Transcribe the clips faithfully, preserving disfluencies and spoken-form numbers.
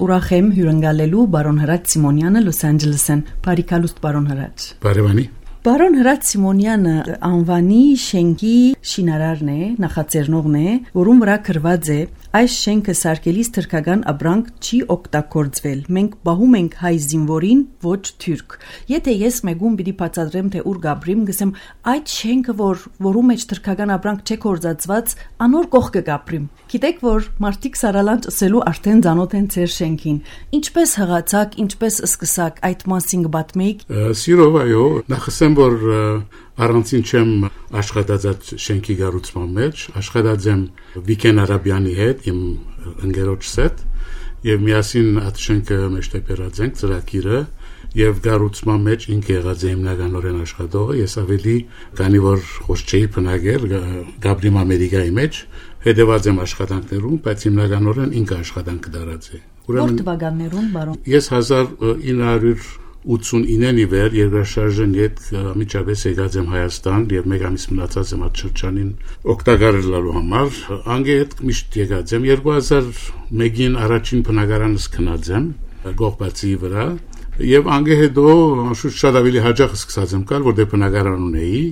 ուրախ եմ հյուրընկալելու բարոն Հրաչ Սիմոնյանը Լոս Անջելեսեն։ Բարիքալուստ բարոն Հրաչ։ Բարևանի։ Բարոն Հրաչ Սիմոնյանը անվանի շենքի շինարարն է, նախաձեռնողն է, որում վրա գրված է այս շենքը սարքելիս թրքական ապրանք չի օգտագործվել։ Մենք բահում ենք հայ զինվորին, ոչ թուրք։ Եթե ես մեկում պիտի բացատրեմ, թե ուր գաբրիմ, գսեմ այդ շենքը, որ որում մեջ թրքական ապրանք չէ կորզածված, անոր կողքը գաբրիմ։ Գիտեք, որ մարդիկ սարալանջ ասելու արդեն ծանոթ են ձեր շենքին։ Ինչպես հղացաք, ինչպես սկսաք այդ մասին կպատմեիք։ Սիրով այո, նախսեմ որ առանցին չեմ աշխատած այդ շենքի կառուցման մեջ, աշխատած եմ Վիկեն Արաբյանի հետ, իմ ընկերոջս հետ, եւ միասին այդ շենքը մեջտեղած ենք ծրագիրը եւ կառուցման մեջ ինքը եղած է հիմնականորեն աշխատողը, ես ավելի քանի որ խոս չէի բնակել Գաբրիմ Ամերիկայի մեջ, հետեւած եմ աշխատանքներում, բայց հիմնականորեն ինքը աշխատանք դարած է։ Ուրեմն թվականներում, բարոն։ Ես հազար ինը հարյուր ութսունինն ի վեր երկրաշարժն հետ միջավես եկած եմ Հայաստան եւ մեկ ամիս մնացած եմ այդ շրջանին օգտագործելու համար անգե հետ միշտ եկած եմ երկու հազար մեկին առաջին բնակարանս քնած եմ Գողբացի վրա եւ անգե հետո շուտ շատ ավելի հաջող սկսած եմ գալ որտեղ բնակարան ունեի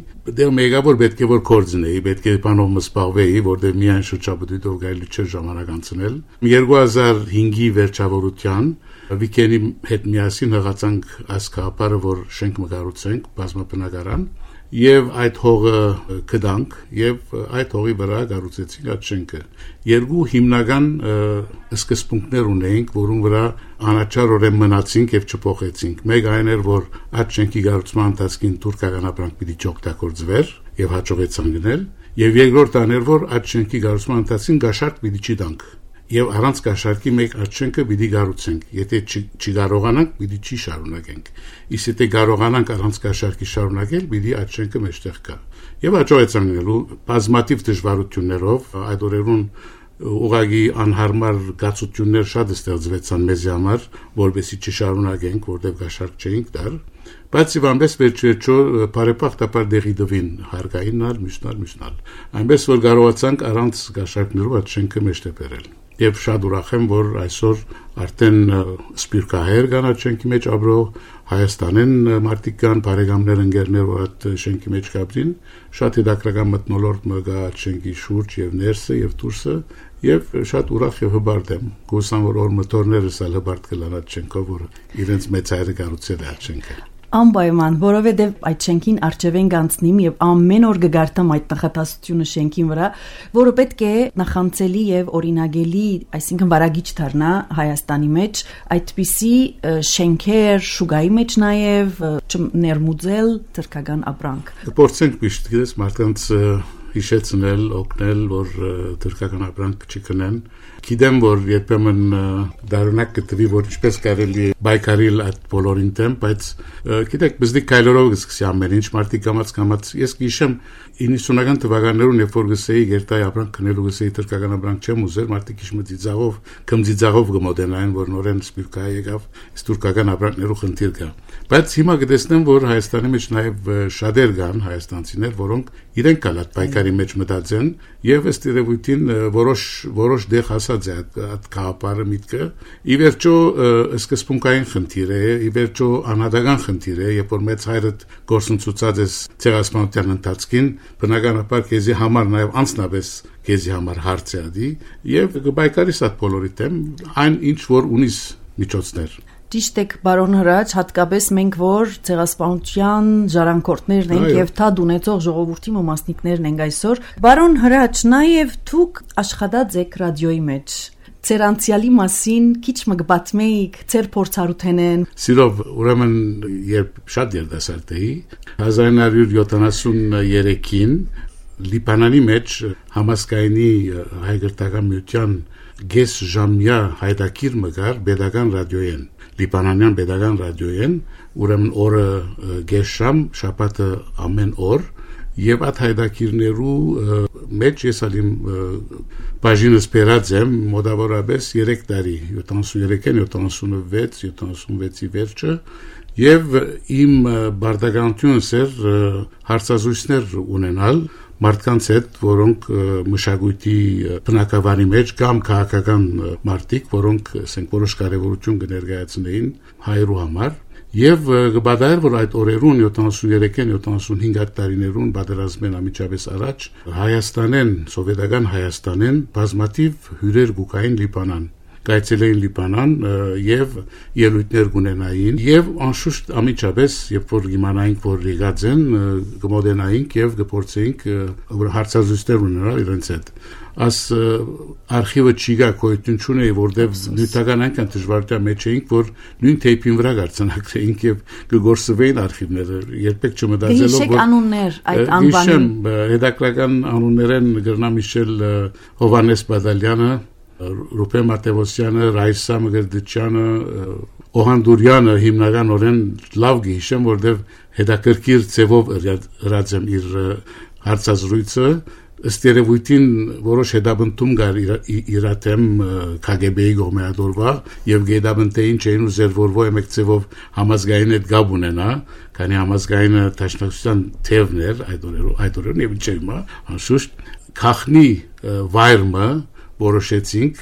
դեռ մեգավոր պետք է որ կորձնեի պետք է բանով մսպաղվեի որտեղ միայն շրջապտույտով գալու չէ ժամանակ անցնել երկու հազար հինգի վերջավորության Վիկենի հետ միասին հղացանք ասկապարը, որ շենք մկառուցենք, բազմաբնակարան, եւ այդ հողը կդանք, եւ այդ հողի վրա կառուցեցինք այդ շենքը։ Երկու հիմնական սկզբունքներ ունեինք, որոնց վրա անաչառորեն մնացինք եւ չփոխեցինք։ Մեկ այն էր, որ այդ շենքի կառուցման ընթացքին թուրքական ապրանք պիտի չօգտագործվեր եւ հաջողեցան գնել, եւ երկրորդ այն էր, որ այդ շենքի կառուցման ընթացքին գաշարք պիտի չդանք։ Եվ առանց կաշարկի մեկ այդ շենքը պիտի կառուցենք։ Եթե չկարողանանք, պիտի չի շարունակենք։ Իսկ եթե կարողանանք առանց կաշարկի շարունակել, պիտի այդ շենքը մեջտեղ գա։ Եվ հաջողեցանք գնելու բազմաթիվ դժվարություններով, այդ օրերուն ուղղակի անհարմար գացություններ շատ ստեղծվեցան մեզ համար, որովհետեւ չշարունակենք, որտեղ կաշարք չէինք դար։ Բայց իվանպես վերջերչո բարեփոխտապար դեղի դվին հարգայինալ, միշնալ, միշնալ։ Այնպես որ կարողացանք առանց կաշարկներով այդ շենքը մեջտեղ բերել։ Եվ շատ ուրախ եմ, որ այսօր արդեն սպիրկահեր կան այդ շենքի մեջ ապրող Հայաստանեն մարդիկ կան, բարեկամներ, ընկերներ, որ այդ շենքի մեջ կապրին, շատ հետաքրքրական մթնոլորտ մը կա այդ շենքի շուրջ եւ ներսը եւ դուրսը, եւ շատ ուրախ եւ հբարտ եմ։ Գուսան որ օր մտորներս ալ հբարտ կլան այդ շենքով, որ իրենց մեծ հայրը կառուցել է այդ շենքը։ Անպայման, որովհետև այդ շենքին արջևեն կանցնիմ եւ ամեն օր կգարտամ այդ նախատասությունը շենքին վրա, որը պետք է նախանցելի եւ օրինագելի, այսինքն վարագիչ դառնա Հայաստանի մեջ, այդպիսի շենքեր շուգայի մեջ նաեւ ներմուծել թրքական ապրանք։ Կփորձենք միշտ գիտես մարդկանց հիշեցնել, օգնել, որ թրքական ապրանք չկնեն։ Գիտեմ, որ երբեմն դառնակ կտվի, որ ինչպես կարելի է բայկարել այդ բոլորին դեմ, բայց գիտեք, բզդիկ կայլորով սկսի ամեն ինչ մարդիկ կամած կամած ես գիշեմ իննսունական թվականներուն երբ որ գսեի գերտայ ապրանք քնելու գսեի թրքական ապրանք չեմ ուզել, մարդիկ իշ մծիծաղով, կմծիծաղով գմոդենային, որ նորեն սպիրկա եկավ, թուրքական ապրանքներու խնդիր կա։ Բայց հիմա կտեսնեմ, որ Հայաստանի մեջ նաև շատեր կան հայաստանցիներ, որոնք իրենք կալ այդ բայկարի մեջ մտածեն եւ ըստ երևույթին որոշ որոշ դեղ հասած է այդ կապարը միտքը ի վերջո սկզբունքային խնդիր է ի վերջո անհատական խնդիր է երբ որ մեծ հայրը գործընծուցած է ցեղասպանության ընթացքին բնականաբար քեզի համար նաեւ անձնապես քեզի համար հարց է ադի եւ բայկարիս այդ բոլորի դեմ այն ինչ որ ունիս միջոցներ Ճիշտ եք, բարոն Հրաչ, հատկապես մենք որ ցեղասպանության ժառանգորդներն ենք եւ թադ ունեցող ժողովրդի մասնիկներն ենք այսօր։ Բարոն Հրաչ, նաեւ դուք աշխատած եք ռադիոյի մեջ։ Ձեր անցյալի մասին քիչ մգբացմեիք, ձեր փորձառութենեն։ Սիրով, ուրեմն երբ շատ երդասարդ էի, հազար ինը հարյուր յոթանասուններեքին Լիբանանի մեջ համասկայնի հայկական միության գես ժամյա հայտակիր մգար pedagogan ռադիոյեն Լիբանանյան pedagogan ռադիոյեն ուրեմն օրը գես ժամ շաբաթը ամեն օր եւ այդ հայտակիրներու մեջ ես ալիմ բաժինս բերած եմ մոտավորապես երեք տարի յոթանասուններեքին յոթանասունվեց յոթանասունվեցի վերջը եւ իմ բարդականությունս էր հարցազրույցներ ունենալ մարդկանց հետ, որոնք մշակույթի բնակավանի մեջ կամ քաղաքական մարդիկ, որոնք ասենք որոշ կարևորություն կներկայացնեին հայերու համար, եւ կբադայր, որ այդ օրերուն յոթանասուններեքին յոթանասունհինգ տարիներուն պատերազմեն ամիջապես առաջ Հայաստանեն, սովետական Հայաստանեն բազմաթիվ հյուրեր գուկային Լիբանան Կայցելեին Լիբանան եւ ելույթներ կունենային եւ անշուշտ ամիջապես երբ որ իմանայինք որ եկած են կմոդենայինք եւ կփորձեինք հարցազրույցներ ունենալ իրենց հետ as արխիվը չիգա կոյություն չունեի որտեվ նյութական այնքան դժվարության մեջ էինք որ նույն թեյփին վրա գարցանակրեինք եւ կգործվեին արխիվները երբեք չմտածելով որ անուններ այդ անվանին հետաքրական անուններեն գրնամիշել Հովանես Բադալյանը Ռուփե Մատեոսյանը, Ռայսա Մգրդչյանը, Օհանդուրյանը հիմնականորեն լավ գիշեմ, որտեղ հետաքրքիր ձևով ըրած եմ իր հարցազրույցը, ըստ երևույթին որոշ հետաբնտում կար իրաթեմ K G B-ի գոմեադորվա եւ գեդաբնտեին չէին ուզեր որ ոյ մեկ ձևով համազգային հետ գաբ ունենա, քանի համազգայինը տաշնակցության թևներ այդ օրերով, այդ օրերն եւ չէ հիմա, անշուշտ քախնի վայրը որոշեցինք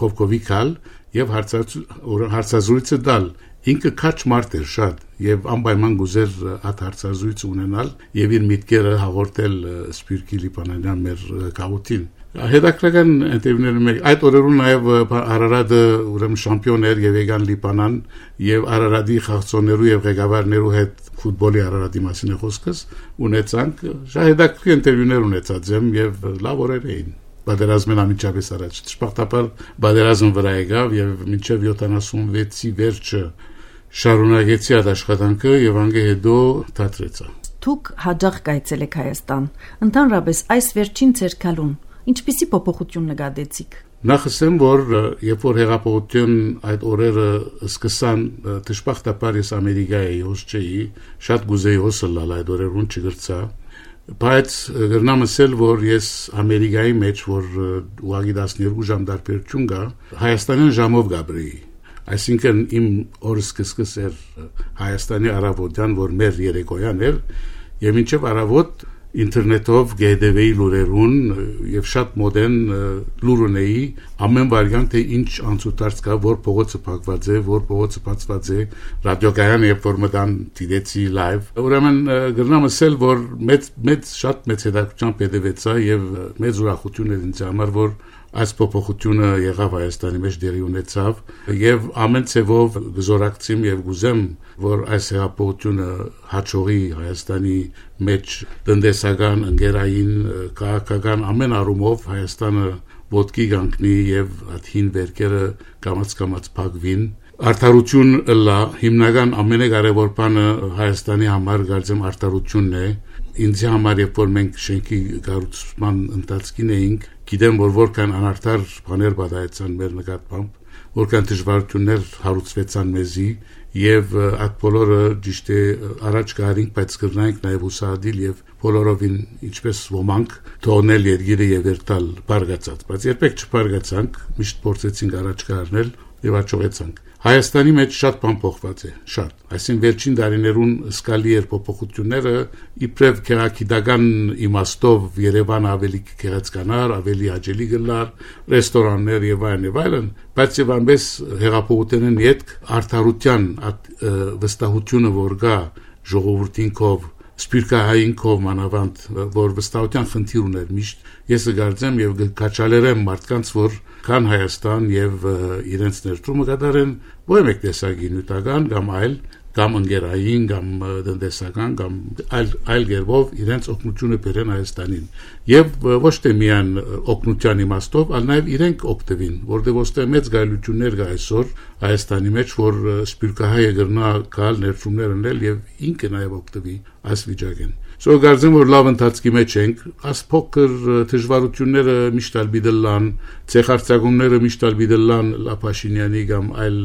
կովկովիկալ եւ հարցազրույցը դալ ինքը քաչ մարդ էր շատ եւ անպայման գուզեր այդ հարցազրույցը ունենալ եւ իր միտքերը հաղորդել Սպիրկի Լիբանանյան մեր քաղաքին հետաքրքրական ինտերվյուները մեկ այդ օրերուն նաեւ Արարատը ուրեմն շամպիոն էր եւ եկան Լիբանան եւ Արարատի խաղացողներու եւ ղեկավարներու հետ ֆուտբոլի Արարատի մասին է խոսքս ունեցանք շատ հետաքրքիր ինտերվյուներ ունեցած եմ եւ լավ օրեր էին Բادرազմեն ամիջապես առաջ ճշմարտաբար բادرազմ վրա եկավ եւ մինչեւ յոթանասունվեցի վերջը շարունակեցի այդ աշխատանքը եւ անգե հետո դադրեցա Դուք հաջող կայցել եք Հայաստան ընդհանրապես այս վերջին ցերկալուն ինչպիսի փոփոխություն նկատեցիք Նախ ասեմ որ երբ որ հեղափոխություն այդ օրերը սկսան ճշմարտաբար ես Ամերիկայի հոսջեի շատ գուզեի հոսլալ այդ օրերուն չգրծա Բայց գրնամ ասել, որ ես Ամերիկայի մեջ, որ ուղղակի տասներկու ժամ դարբերություն կա, Հայաստանյան ժամով գաբրեի։ Այսինքն իմ օրը սկսկս էր Հայաստանի առավոտյան, որ մեր երեկոյան էր, եւ մինչեւ առավոտ ինտերնետով գեդեվեի լուրերուն եւ շատ մոդեն լուր ունեի ամեն վարյան թե ինչ անցուդարձ կա որ փողոցը փակված է որ փողոցը բացված է ռադիոկայան երբ որ մտան դիտեցի լայվ ուրեմն գրնամ ասել որ մեծ մեծ շատ մեծ հետաքրքրությամբ հետևեցա եւ մեծ ուրախություն էր ինձ համար որ այս փոփոխությունը եղավ Հայաստանի մեջ դերի ունեցավ եւ ամեն ցևով գզորակցիմ եւ գուզեմ որ այս հեղափոխությունը հաջողի Հայաստանի մեջ տնտեսական ընկերային քաղաքական ամեն առումով Հայաստանը ոտքի կանգնի եւ աթին վերքերը կամաց կամաց փակվին Արդարություն լա հիմնական ամենակարևոր բանը Հայաստանի համար գարձեմ արդարությունն է ինձ համար երբ որ մենք շենքի կառուցման ընթացքին էինք գիտեմ որ որքան անարդար բաներ բադայեցան մեր նկատմամբ որքան դժվարություններ հարուցվեցան մեզի եւ այդ բոլորը ճիշտ է առաջ գարինք բայց կրնայինք նաեւ ուսադիլ եւ բոլորովին ինչպես ոմանք թողնել երգիրը եւ երթալ բարգացած բայց երբեք չբարգացանք միշտ փորձեցինք առաջ գարնել եւ աճողեցանք Հայաստանի մեջ շատ բան փոխված է, շատ։ Այսինքն վերջին տարիներուն սկալի էր փոփոխությունները, իբրև քերակիդական իմաստով Երևանը ավելի քերացկանար, ավելի աջելի գլար, ռեստորաններ եւ այլն եւ այլն, բայց եւ ամենս հեղափոխությունն յետք արդարության վստահությունը որ գա ժողովրդին կով Սպիրկահային կով մանավանդ որ վստահության խնդիր ուներ միշտ ես գարձեմ եւ կաչալերեմ մարդկանց որ կան Հայաստան եւ իրենց ներդրումը կատարեն ոչ մեկ տեսակի նյութական կամ այլ կամ ընկերային կամ տնտեսական կամ այլ այլ գերբով իրենց օգնությունը բերեն Հայաստանին եւ ոչ թե միայն օգնության իմաստով այլ նաեւ իրենք օգտվին որտեղ ոստե մեծ գայլություններ կա այսօր Հայաստանի մեջ որ Սպիրկահայը գրնա գալ ներդրումներ ունել եւ ինքը նաեւ օգտվի այս վիճակին Սո գարձեմ որ լավ ընթացքի մեջ ենք, աս փոքր դժվարությունները միշտ ալբիդելան, ցեխարցակումները միշտ ալբիդելան Լապաշինյանի կամ այլ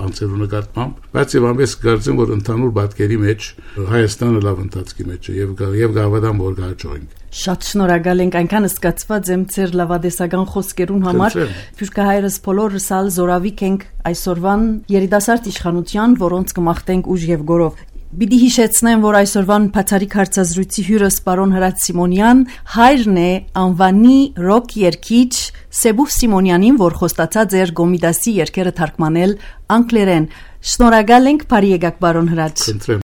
անձերու նկատմամբ, բայց եւ ամենս գարձեմ որ ընդհանուր բատկերի մեջ Հայաստանը լավ ընթացքի մեջ է եւ եւ գավադան որ գաճոյինք։ Շատ շնորհակալ ենք այնքան սկացված եմ ձեր լավադեսական խոսքերուն համար, Սպիրկահայերս բոլորս ալ զորավիկ ենք այսօրվան երիտասարդ իշխանության, որոնց կմաղթենք ուժ եւ գորով Պիտի հիշեցնեմ, որ այսօրվան բացառիկ հարցազրույցի հյուրս պարոն Հրաչ Սիմոնյան հայրն է անվանի ռոք երգիչ Սեբուխ Սիմոնյանին, որ խոստացած էր Գոմիդասի երգերը թարգմանել անգլերեն։ Շնորհակալ ենք, բարի եկաք պարոն Հրաչ։